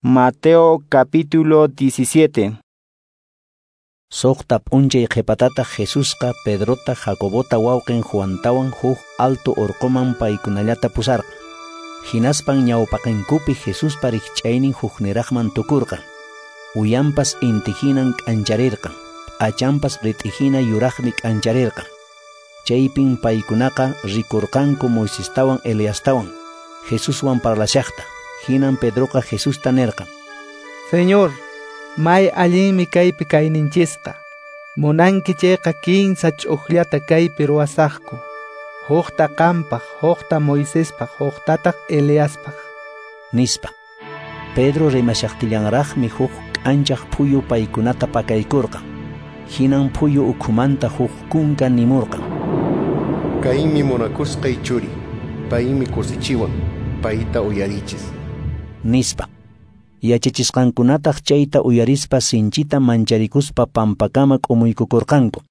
Mateo capítulo 17. Suqta p'unchay qhipatataq Jesusqa Pedrota, Jacobota wawqin Juantawan huk alto urquman paykunallata pusarqan. Hinaspan ñawpaqinkupi Jesuspa rikch'aynin hukniraqman tukurqan. Uyanpas inti hinan k'ancharirqan, p'achanpas rit'i hina yuraqmi k'ancharirqan. Chaypin paykunaqa rikurqanku Moisestawan Eliastawan, Jesuswan parlashaqta. Hinan Pedroqa Jesusta nirqan: Señor, may allinmi kaypi kayninchisqa. Munanki chayqa kinsa ch'uqllata kaypi ruwasaqku. Hukta qampaq, hukta Moisespaq, huktataq Eliaspaq. Nispa. Pedro rimashaqtillanraqmi huk k'anchaq phuyu paykunata pakaykurqan. Hinan phuyu ukhumanta huk kunka nimurqan: Kaymi munakusqay churi, paymi kusichiwan, payta uyarichis. Nispa. Yachachisqankunataq chayta uyarispa sinchita mancharikuspa pampakama k'umuykukurqanku.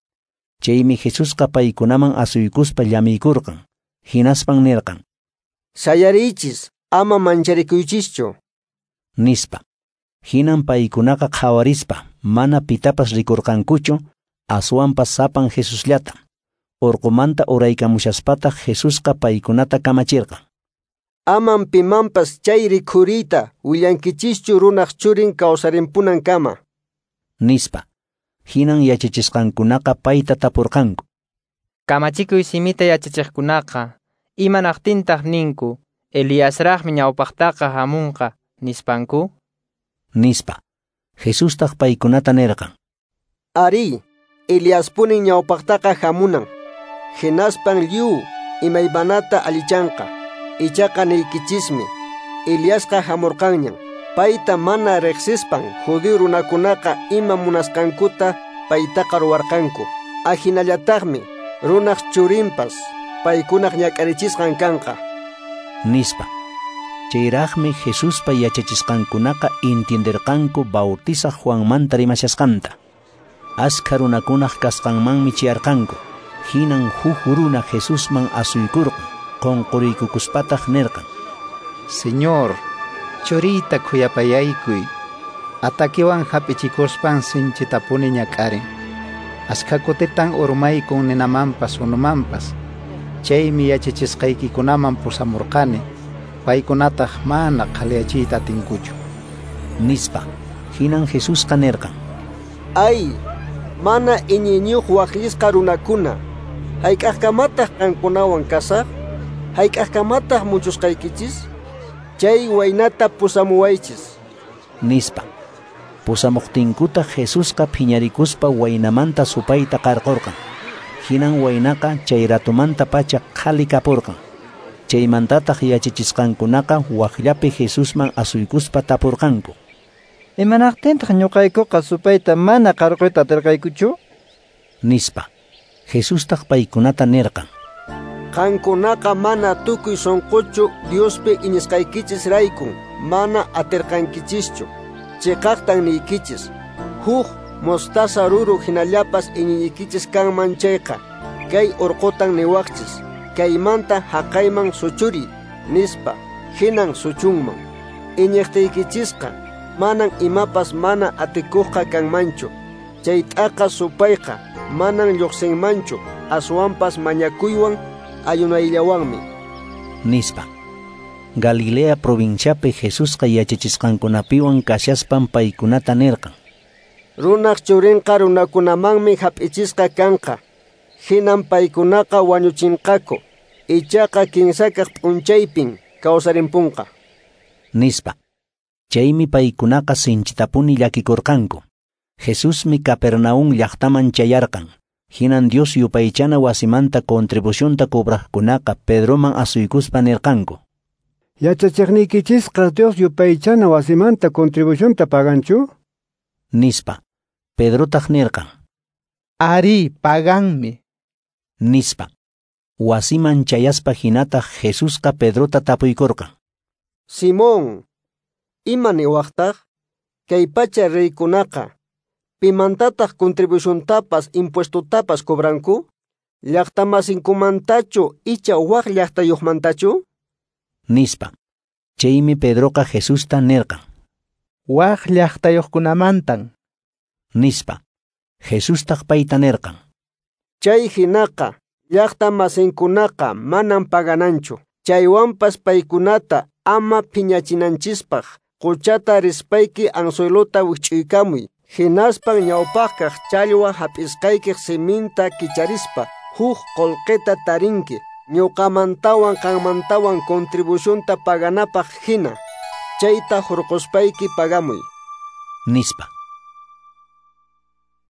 Chaymi Jesusqa paykunaman asuykuspa llamiykurqan. Hinaspan nirqan: Sayariychis, ama mancharikuychischu. Nispa. Hinan paykunaqa qhawarispa mana pitapas rikurqankuchu, aswanpas sapan Jesusllata. Urqumanta uraykamushaspataq Jesusqa paykunata kamachirqan: Aman pimanpas chay rikhuriyta willankichischu runaq churin kawsarimpunankama. Nispa. Hinan yachachisqankunaqa payta tapurqanku: Kamachikuy simita yachachiqkunaqa imanaqtintaq ninku Eliasraqmi ñawpaqtaqa hamunqa nispanku? Nispa. Jesustaq paykunata nirqan: Ari, Eliaspunin ñawpaqtaqa hamunan. Hinaspan lliw imaymanata allichanqa. Ichaqa niykichismi, Eliasqa hamurqanñan. Payta mana riqsispan judío runakunaqa ima munasqankuta paytaqa ruwarqanku. Ahinallataqmi runaq churinpas paykunaq ñak'arichisqan kanqa. Nispa. Chayraqmi Jesuspa yachachisqankunaqa entienderqanku Bautizaq Juanmanta rimashasqanta. Askha runakunaq kasqanmanmi chayarqanku. Hinan huk runa Jesusman asuykurqan, qunquriykukuspataq nirqan: Señor, churiyta khuyapayaykuy. Atakiwan hap'ichikuspan sinchitapuni ñak'arin. Askha kutitan urmaykun ninamanpas unumanpas. Chaymi yachachisqaykikunaman pusamurqani. Paykunataq mana qhaliyachiyta atinkuchu. Nispa. Hinan Jesusqa nirqan: Ay, mana iñiyniyuq waqllisqa runakuna, hayk'aqkamataq qankunawan kasaq? Hayk'aqkamataq muchusqaykichis? Chay waynata pusamuwaychis. Nispa. Pusamuqtinkutaq Jesusqa phiñarikuspa waynamanta supayta qarqurqan. Hinan waynaqa chay ratumantapacha qhali kapurqan. Chaymantataq yachachisqankunaqa waqllapi Jesusman asuykuspa tapurqanku: Imanaqtintaq ñuqaykuqa supayta mana qarquyta atirqaykuchu? Nispa. Jesustaq paykunata nirqan: Qankunaqa mana tukuy sunquchu Diospi iñisqaykichis raykun mana atirqankichischu. Chiqaqtan niykichis, huk mostaza ruru hinallapas iñiykichis kanman chayqa, kay urqutan niwaqchis, kaymanta haqayman suchuriy, nispa, hinan suchunman. Iñiqtiykichisqa manan imapas mana atikuqqa kanmanchu. Chay t'aqa supayqa manan lluqsinmanchu, aswanpas mañakuywan ayunayllawanmi. Nispa. Galilea provinciapi Jesusqa yachachisqankunapiwan kashaspan paykunata nirqan: Runaq churinqa runakunamanmi hap'ichisqa kanqa. Hinan paykunaqa wañuchinqaku. Ichaqa kinsakaq p'unchaypin kawsarimpunqa. Nispa. Chaymi paykunaqa sinchitapuni llakikurqanku. Jesusmi Capernaum llaqtaman chayarqan. Hinan Dios yupaychana wasimanta contribucionta cobraqkunaqa Pedroman asuykuspa nirqanku: Yachachiqniykichisqa Dios yupaychana wasimanta contribucionta paganchu? Nispa. Pedrotaq nirqan: Ari, paganmi. Nispa. Wasiman chayaspa hinataq Jesusqa Pedrota tapuykurqan: Simón, ima niwaqtaq? Kay pacha reykunaqa pimantataq contribuciontapas impuestotapas cobranku? Llaqtamasinkumantachu icha waq llaqtayuqmantachu? Nispa. Chaymi Pedroqa Jesusta nirqan: Waq llaqtayuqkunamantan, nispa. Jesustaq payta nirqan: Chay hinaqa llaqta masinkunaqa manam pagananchu. Chaywanpas paykunata ama phiñachinanchispaq quchata rispayki anzuelota wikch'uykamuy. Hinaspan ñawpaqkaq challwa hap'isqaykiq siminta kicharispa huk qullqita tarinki ñuqamantawan qanmantawan contribucionta paganapaq hina. Chayta hurquspayki pagamuy, nispa.